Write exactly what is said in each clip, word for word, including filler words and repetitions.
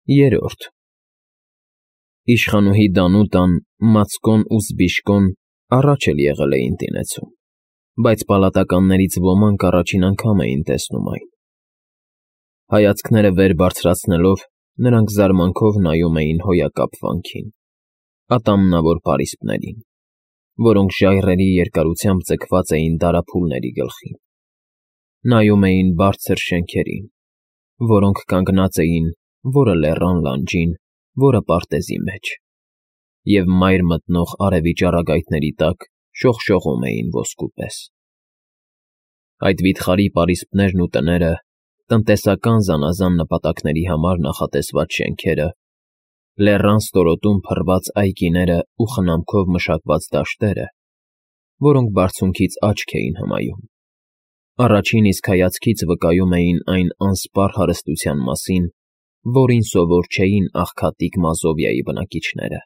Երրորդ Իշխանուհի Դանուտան, Մացկոն ու Զբիշկոն առաջ էլ եղել էին տիրեցում, բայց պալատականներից ոմանք առաջին անգամ էին տեսնում այն. հայացքները վեր բարձրացնելով, նրանք զարմանքով նայում էին հոյակապ վանքին, ատամնավոր պարիսպներին, որոնք ժայռերի երկարությամբ ձգված էին դարափուլների գլխին, նայում էին բարձր շենքերին, որոնք կանգնած էին որը լեռան լանջին, որը պարտեզի մեջ, և մայր մտնող արևի ճառագայթների տակ շողշողում էին ոսկու պես. Այդ վիթխարի պարիսպներն ու տները, տնտեսական զանազան նպատակների համար նախատեսված շենքերը, լեռան ստորոտում փռված այգիները ու խնամքով մշակված դաշտերը, որոնք բարձունքից աչք էին հմայում, առաջին իսկ հայացքից վկայում էին այն անսպառ հարստության մասին, որին սովոր չէին աղքատիկ Մազովիայի բնակիչները,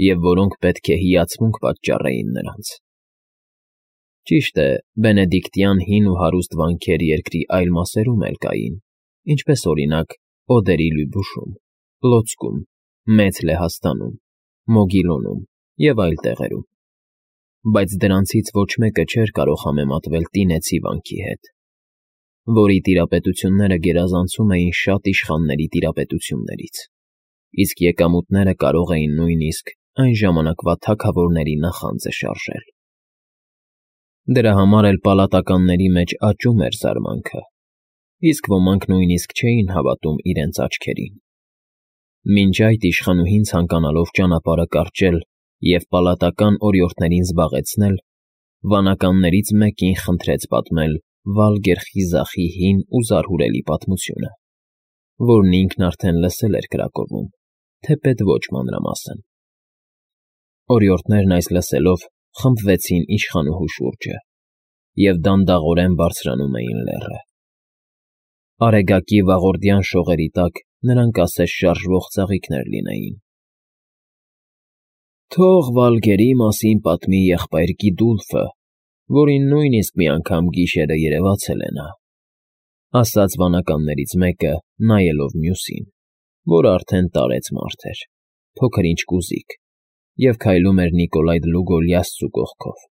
և որոնք պետք է հիացմունք պատճառեին նրանց. ճիշտ է, բենեդիկտյան հին ու հարուստ վանքեր երկրի այլ մասերում էլ կային, ինչպես, օրինակ, Օդերի Լյուբուշում, Պլոցկում, Մեծ Լեհաստանում, Մոգիլոնում և այլ տեղերում, բայց դրանցից ոչ մեկը չէր կարող համեմատվել Տինեցի վանքի հետ, որի տիրապետությունները գերազանցում էին շատ իշխանների տիրապետություններից, իսկ եկամուտները կարող էին նույնիսկ այն ժամանակվա թագավորների նախանձը շարժել. Դրա համար էլ պալատականների մեջ աճում էր զարմանքը, իսկ ոմանք նույնիսկ չէին հավատում իրենց աչքերին, մինչ այդ իշխանուհին ցանկանալով ճանապարհը կարճել և պալատական օրիորդներին զբաղեցնել, վանականներից մեկին խնդրեց պատմել Վալգեր խիզախի հին ու զարհուրելի պատմությունը, որն ինքն արդեն լսել էր կրակովում, թեպետ ոչ մանրամասն. Օրիորդներն այս լսելով խմբվեցին իշխանուհու շուրջը և դանդաղորեն բարձրանում էին լեռը. Արեգակի վաղորդյան շողերի տակ նրանք ասես շարժվող ծաղիկներ լինեին. Թող Վալգերի մասին պատմի եղբայր Գիդուլֆը, որին նույնիսկ մի անգամ գիշերը երևացել է նա, ասաց վանականներից մեկը, նայելով մյուսին, որը արդեն տարեց մարդ էր, փոքր-ինչ կուզիկ, և քայլում էր Նիկոլայ Դլուգոլյասցու կողքով։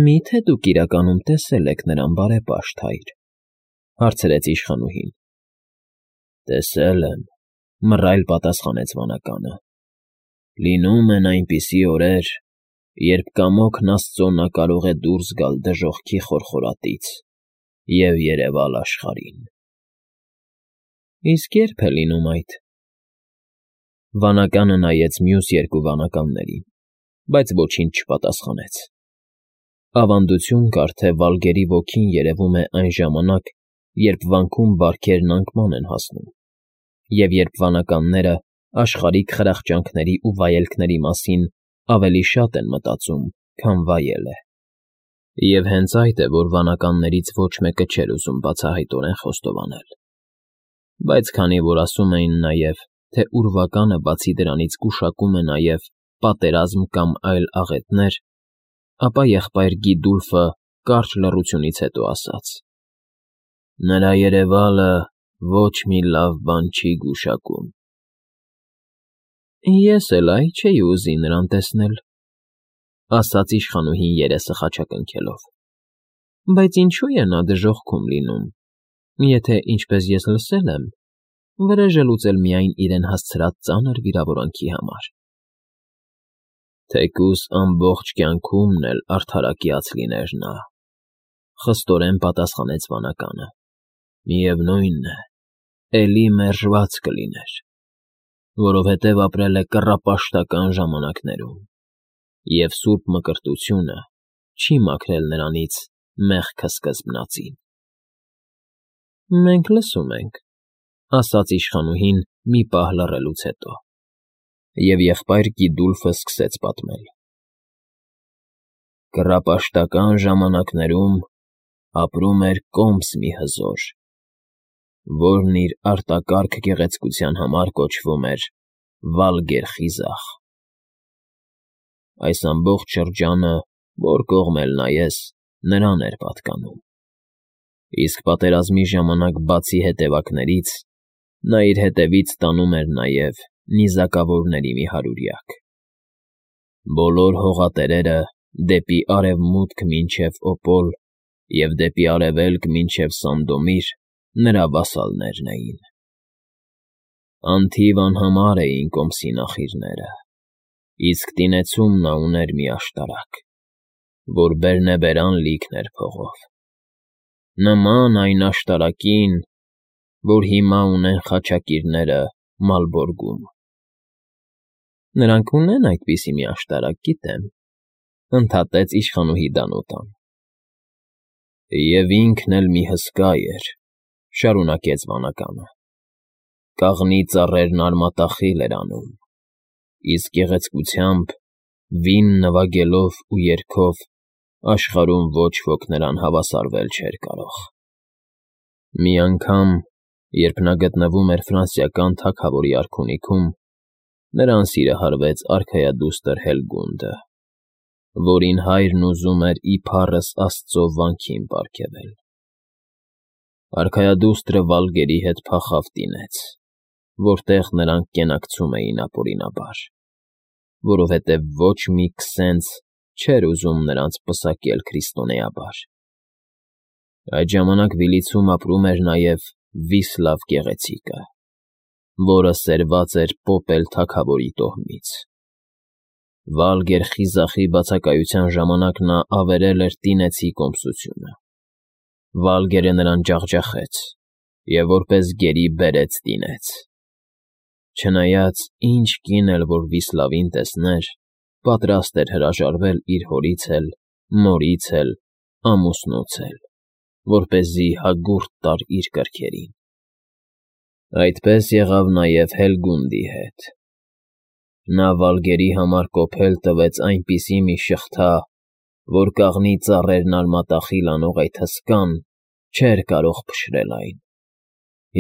Մի՞թե դուք իրականում տեսել եք նրան, բարեպաշտ հայր, հարցրեց իշխանուհին։ Տեսել եմ, մռայլ պատասխանեց վանականը, լինում են այնպիսի օրեր, երբ կամոքն Աստծո նա կարող է դուրս գալ դժոխքի խորխորատից և երևալ աշխարհին։ Իսկ ե՞րբ է լինում այդ։ Վանականը նայեց մյուս երկու վանականներին, բայց ոչինչ չպատասխանեց։ Ավանդություն կար, թե Վալգերի ոգին երևում է այն ժամանակ, երբ վանքում բարքերն անկման են հասնում, և երբ վանականները աշխարհիկ խրախճանքների ու վայելքների մասին ավելի շատ են մտածում, քան վայել է։ Եվ հենց այդ է, որ վանականներից ոչ մեկը չէր ուզում բացահայտորեն խոստովանել։ Բայց քանի որ ասում էին նաև, թե ուրվականը բացի դրանից գուշակում է նաև պատերազմ կամ այլ աղետներ, ապա եղբայր Գիդուլֆը կարճ լռությունից հետո ասաց. Նրա երևալը ոչ մի լավ բան չի գուշակում։ Ես էլ այ չէի ուզի նրան տեսնել, ասաց իշխանուհին երեսը խաչակնքելով, բայց ինչու է նա դժոխքում լինում, եթե, ինչպես ես լսել եմ, վրեժը լուծել միայն իրեն հասցրած ծանր վիրավորանքի համար։ Թեկուզ ամբողջ կյանքումն էլ արդարակյաց լիներ նա, խստորեն պատասխանեց վանականը, միևնույն է, էլի մերժված կլիներ, որովհետև ապրել է կռապաշտական ժամանակներում, և սուրբ մկրտությունը չի մաքրել նրանից մեղքը սկզբնածին։ Մենք լսում ենք, ասաց իշխանուհին մի պահ լռելուց հետո, և եղբայր Գիդուլֆը սկսեց պատմել. Կռապաշտական ժամանակներում ապրում էր Կոմս մի հզոր, որն իր արտակարգ գեղեցկության համար կոչվում էր Վալգեր խիզախ։ Այս ամբողջ շրջանը, որ կողմ էլ նայես, նրան էր պատկանում։ Իսկ պատերազմի ժամանակ, բացի հետևակներից, Նա իր հետևից տանում էր նաև նիզակավորների մի հարյուրյակ։ Բոլոր հողատերերը դեպի արևմուտք մինչև Օպոլ և դեպի արևելք մինչև Սանդոմիր նրա վասալներն էին։ Անթիվ անհամար էին Կոմսի նախիրները, իսկ տինեցում նա ուներ մի աշտարակ, որ բերնեբերան լիքն էր փողով, նման այն աշտարակին, որ հիմա ունեն խաչակիրները Մալբորգում։ ֊ Նրանք ունեն այդպիսի մի աշտարակ, գիտեմ,֊ ընդհատեց իշխանուհի Դանուտան։ ֊ Եվ ինքն էլ մի հսկա էր,֊ շարունակեց վանականը,֊ կաղնի ծառերն արմատախիլ էր անում, իսկ գեղեցկությամբ, վին նվագելով ու երգով աշխարհում ոչ ոք նրան հավասարվել չէր կարող։ Մի անգամ, երբ նա գտնվում էր ֆրանսիական թագավորի արքունիքում, նրան սիրահարվեց արքայադուստր Հելգունդը, որին հայրն ուզում էր ի փառս աստծո վանքին պարգևել։ Արքայադուստրը Վալգերի հետ փախավ տինեց, որտեղ նրանք կենակցում էին ապօրինաբար, որովհետև ոչ մի քսենց չէր ուզում նրանց պսակել քրիստոնեաբար։ Այդ ժամանակ Վիլիցում ապրում էր նաև Վիսլավ գեղեցիկը, որը սերված էր Պոպել թագավորի տոհմից։ Վալգեր խիզախի բացակայության ժամանակ նա ավերել էր տինեցի կոմսությունը։ Վալգերը նրան ջախջախեց և որպես գերի բերեց տինեց։ Չնայած ինչ կին էլ որ Վիսլավին տեսներ, պատրաստ էր հրաժարվել իր հորից էլ, մորից էլ, ամուսնուց էլ, որպեսզի հագուրդ տար իր կրքերին։ Այդպես եղավ նաև Հելգունդի հետ։ Նա Վալգերի համար կոփել տվեց այնպիսի մի շղթա, որ կաղնի ծառերն արմատախիլ անող այդ հսկան չէր կարող փշրել այն,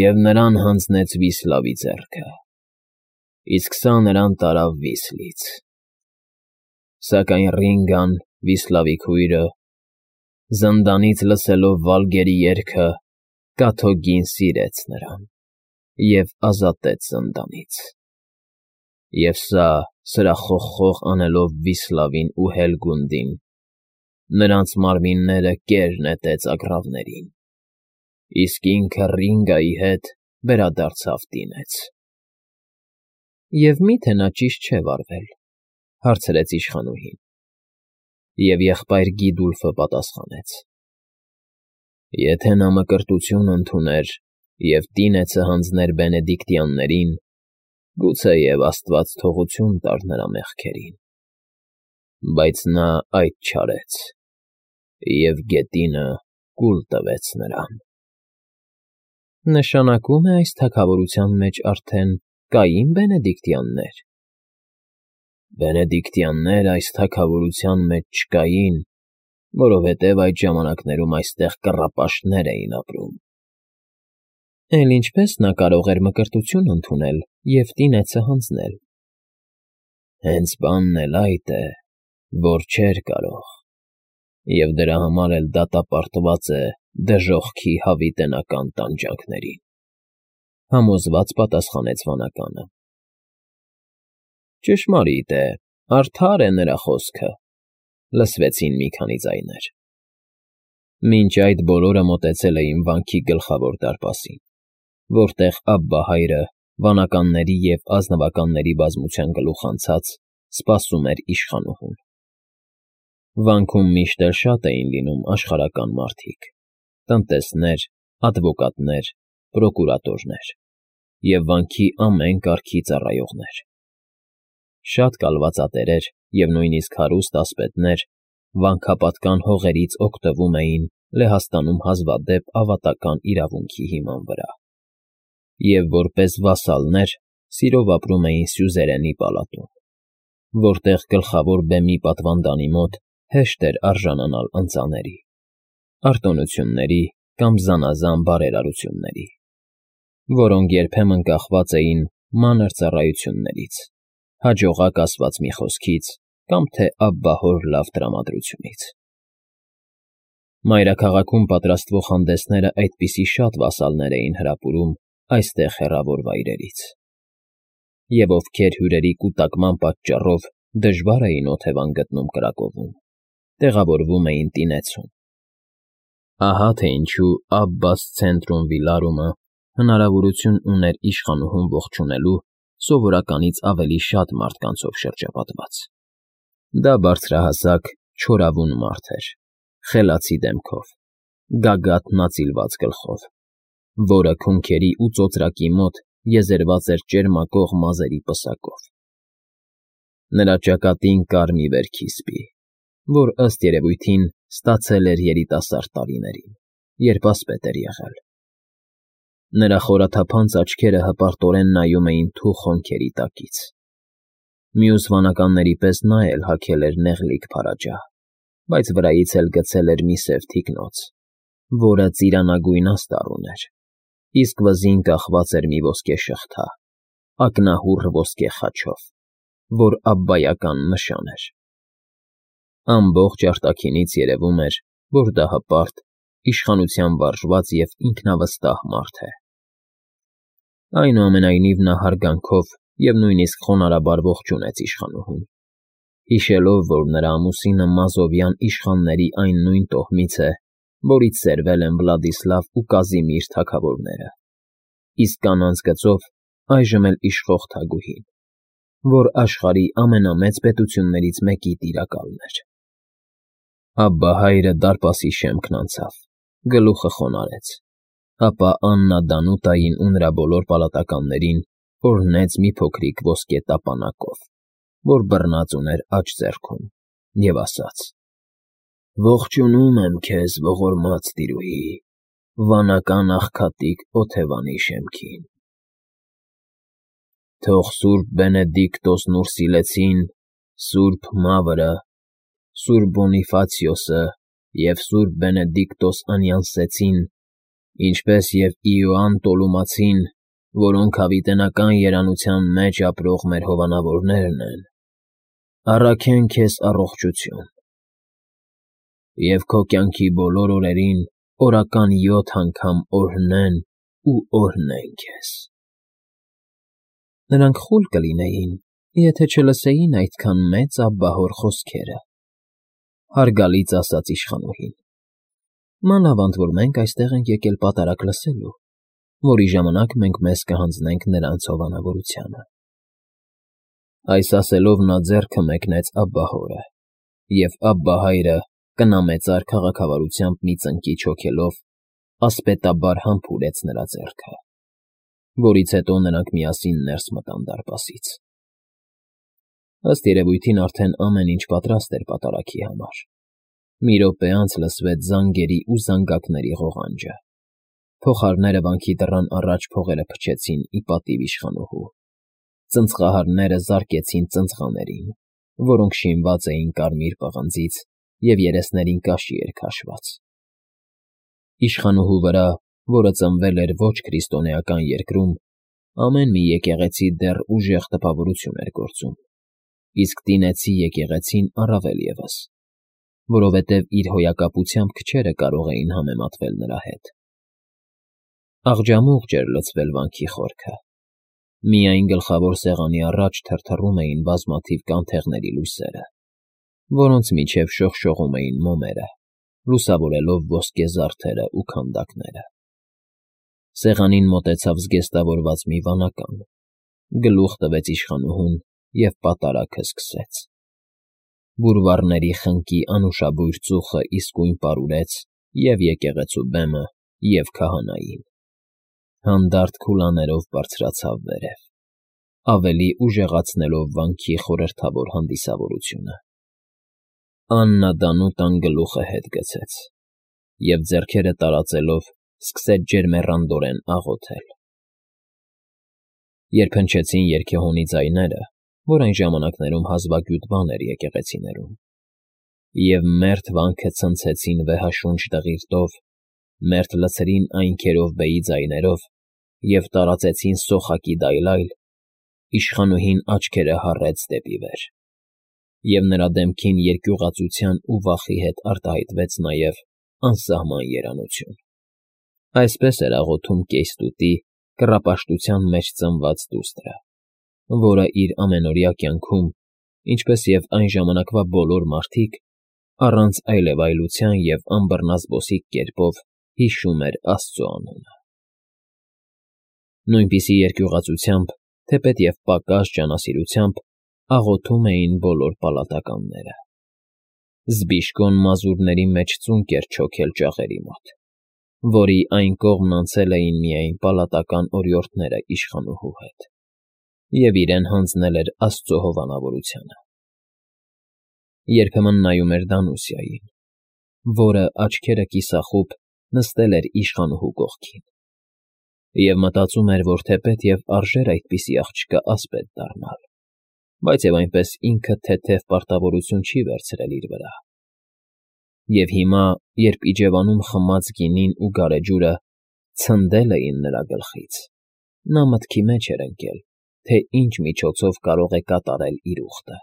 և նրան հանձնեց Վիսլավի ձեռքը, իսկ սա նրան տարավ Վիսլից։ Սակայն Ռինգան, Վիսլավի քույրը, զնդանից լսելով Վալգերի երգը, կաթոկին սիրեց նրան և ազատեց զնդանից։ Եվ սա, սրախոխխող անելով Վիսլավին ու Հելգունդին, նրանց մարմինները կեր նետեց ագռավներին, իսկ ինքը Ռինգայի հետ վերադարձավ տինեց։ ֊ Եվ մի՞թե նա ճիշտ չէ վարվել,֊ հարցրեց իշխանուհին։ Եվ եղբայր Գիդուլֆը պատասխանեց. «Եթե նա մկրտություն ընդուներ և տինեցը հանձներ բենեդիկտյաններին, գուցեև աստված թողություն տար նրա մեղքերին, բայց նա այդ չարեց և գետինը կուլ տվեց նրան»։ ֊ Նշանակում է այս թագավորության մեջ արդեն կային բենեդիկտյաննե՞ր։ ֊ Բենեդիկտյաններ այս թագավորության մեջ չկային, որովհետև այդ ժամանակներում այստեղ կռապաշտներ էին ապրում։ ֊ Էլ ինչպե՞ս նա կարող էր մկրտություն ընդունել և տինեցը հանձնել։ ֊ Հենց բանն էլ այդ է, որ չէր կարող, և դրա համար էլ դատապարտված է դժոխքի հավիտենական տանջանքներին,֊ համոզված պատասխանեց վանականը։ ֊ Ճշմարիտ է, արդար է նրա խոսքը,֊ լսվեցին մի քանի ձայներ։ Մինչ այդ բոլորը մոտեցել էին վանքի գլխավոր դարպասին, որտեղ Աբբա հայրը, վանականների և ազնվականների բազմության գլուխանցած, սպասում էր իշխանուհուն։ Վանքում միշտ էլ շատ էին լինում աշխարհական մարդիկ, տնտեսներ, ադվոկատներ, պրոկուրատորներ և վանքի ամեն կարգի ծառայողներ։ Շատ կալվածատերեր և նույնիսկ հարուստ ասպետներ վանքապատկան հողերից օգտվում էին Լեհաստանում հազվադեպ ավատական իրավունքի հիման վրա, և որպես վասալներ սիրով ապրում էին սյուզերենի պալատում, որտեղ գլխավոր բեմի պատվանդանի մոտ հեշտ էր արժանանալ ընծաների, արտոնությունների կամ զանազան բարերարությունների, որոնք երբեմն կախված էին մանր ծառայություններից, հաջողակ ասված մի խոսքից կամ թե աբբահոր լավ տրամադրությունից։ Մայրաքաղաքում պատրաստվող հանդեսները այդպիսի շատ վասալներ էին հրապուրում այստեղ հեռավոր վայրերից, և ովքեր հյուրերի կուտակման պատճառով դժվար էին օթևան գտնում կրակովում, տեղավորվում էին տինեցում։ Ահա թե ինչու Աբբաս Ցենտրում Վիլարումը հնարավորություն ուներ իշխանուհուն ողջունելու սովորականից ավելի շատ մարդկանցով շրջապատված։ Դա բարձրահասակ, չորավուն մարդ էր, խելացի դեմքով, գագաթնածիլված գլխով, որը քունքերի ու ծոծրակի մոտ եզերված էր ճերմակող մազերի պսակով։ Նրա ճակատին կար մի վերքի սպի, որ ըստ երևույթին ստացել էր երիտասարդ տարիներին, երբ ասպետ էր եղել։ Նրա խորաթափանց աչքերը հպարտորեն նայում էին թուխ հոնքերի տակից։ Մյուս վանականների պես նա էլ հագել էր նեղլիկ փարաջահ, բայց վրայից էլ գցել էր մի սև թիկնոց, որը ծիրանագույն աստառ ուներ, իսկ վզին կախված էր մի ոսկե շղթա, ակնահուռ ոսկե խաչով, որ աբբայական նշան էր։ Ամբողջ արտաքինից երևում էր, որ դա հպարտ, իշխանության վարժված և ինքնավստահ մարդ է։ Այնուամենայնիվ նա հարգանքով և նույնիսկ խոնարհաբար ողջունեց իշխանուհուն, հիշելով, որ նրա ամուսինը մազովյան իշխանների այն նույն տոհմից է, որից սերվել են Վլադիսլավ ու Կազիմիր թագավորները, իսկ կանանց գծով այժմ էլ իշխող թագուհին, որ աշխարհի ամենամեծ պետություններից մեկի տիրակալն էր։ Աբբահայրը դարպասի շեմքն անցավ, գլուխը խոնարհեց, ապա Աննա Դանուտային ու նրա բոլոր պալատականներին օրհնեց մի փոքրիկ ոսկե տապանակով, որ բռնած ուներ աջ ձեռքում, և ասաց. «Ողջունում եմ քեզ, ողորմած տիրուհի, վանական աղքատիկ Օթևանի շեմքին։ Թող սուրբ Բենեդիկտոսն Ուրսիլեցին, սուրբ Մավրը, սուրբ Բոնիֆացիոսը և սուրբ Բենեդիկտոս Անյանսեցին, ինչպես և Իոանն Տոլումացին, որոնք հավիտենական երանության մեջ ապրող մեր հովանավորներն են, առաքեն քեզ առողջություն, և քո կյանքի բոլոր օրերին օրական յոթ անգամ օրհնեն ու օրհնեն քեզ»։ Նրանք խուլ կլինեին, եթե չլսեին այդքան մեծ աբբահոր խոսքերը, հարգալից ասաց իշխանուհին, մանավանդ որ մենք այստեղ ենք եկել պատարագ լսելու, որի ժամանակ մենք մեզ կհանձնենք նրանց հովանավորությանը։ Այս ասելով նա ձեռքը մեկնեց աբբահորը, և աբբահայրը կնամեծար քաղաքավարությամբ մի ծնկիչ հոգելով ասպետաբար համբուրեց նրա ձեռքը, որից հետո նրանք միասին ներս մտան դարպասից։ Ըստ երևույթին արդեն ամեն ինչ պատրաստ էր պատարագի համար։ Մի րոպե անց լսվեց զանգերի ու զանգակների ղողանջը։ Փողահարները վանքի դռան առաջ փողերը փչեցին ի պատիվ իշխանուհու։ Ծնծղահարները զարկեցին ծնծղաներին, որոնք շինված էին կարմիր պղնձից և երեսներին կաշի էր քաշված։ Իշխանուհու վրա, որը ծնվել էր ոչ քրիստոնեական երկրում, ամեն մի եկեղեցի դեռ ուժեղ տպավորություն էր գործում, իսկ տինեցի եկեղեցին առավել ևս, որովհետև իր հոյակապությամբ քչերը կարող էին համեմատվել նրա հետ։ Աղջամուղջ էր լցվել վանքի խորքը։ Միայն գլխավոր սեղանի առաջ թրթռում էին բազմաթիվ կանթեղների լույսերը, որոնց միջև շողշողում էին մոմերը, լուսավորելով ոսկե զարդերը ու քանդակները։ Սեղանին մոտեցավ զգեստավորված մի վանական, գլուխ տվեց իշխանուհուն և պատարագը սկսեց։ Բուրվառների խնկի անուշաբույր ծուխը իսկույն պարուրեց և՛ եկեղեցու բեմը, և՛ քահանային։ Հանդարտ քուլաներով բարձրացավ վերև, ավելի ուժեղացնելով վանքի խորհրդավոր հանդիսավորությունը։ Աննա Դանուտան գլուխը հետ գցեց և, ձեռքերը տարածելով, սկսեց ջերմեռանդորեն աղոթել։ Երբ հնչեցին երգեհոնի ձայները, որ այն ժամանակներում հազվագյուտ բան էր եկեղեցիներում, և մերթ վանքը ցնցեցին վեհաշունչ դղիրդով, մերթ լցրին այն քերովբեի ձայներով և տարածեցին սոխակի դայլայլ, իշխանուհին աչքերը հառեց դեպի վեր, և նրա դեմքին երկյուղածության ու վախի հետ արտահայտվեց նաև անսահման երանություն։ Այսպես էր աղոթում կեյստուտի, կռապաշտության մեջ ծնված դուստրը, որը իր ամենօրյա կյանքում, ինչպես և այն ժամանակվա բոլոր մարդիկ, առանց այլևայլության և անբռնազբոսիկ կերպով հիշում էր աստծու անունը։ Նույնպիսի երկյուղածությամբ, թեպետև պակաս ջանասիրությամբ աղոթում էին բոլոր պալատականները։ Զբիշկոն մազուրների մեջ ծունկ էր չոքել ճաղերի մոտ, որի այն կողմն անցել էին միայն պալատական օրիորդները իշխանուհու հետ, և իրեն հանձնել էր աստծու հովանավորությանը։ Երբեմն նայում էր Դանուսիային, որը, աչքերը կիսախուբ, նստել էր իշխանուհու կողքին, և մտածում էր, որ թեպետև արժեր այդպիսի աղջկա ասպետ դառնալ, բայց և այնպես ինքը թեթև պարտավորություն չի վերցրել իր վրա։ Եվ հիմա, երբ իջևանում խմած գինին ու գարեջուրը ցնդել էին նրա գլխից, նա մտքի մեջ էր ընկել, թե ինչ միջոցով կարող է կատարել իր ուխտը։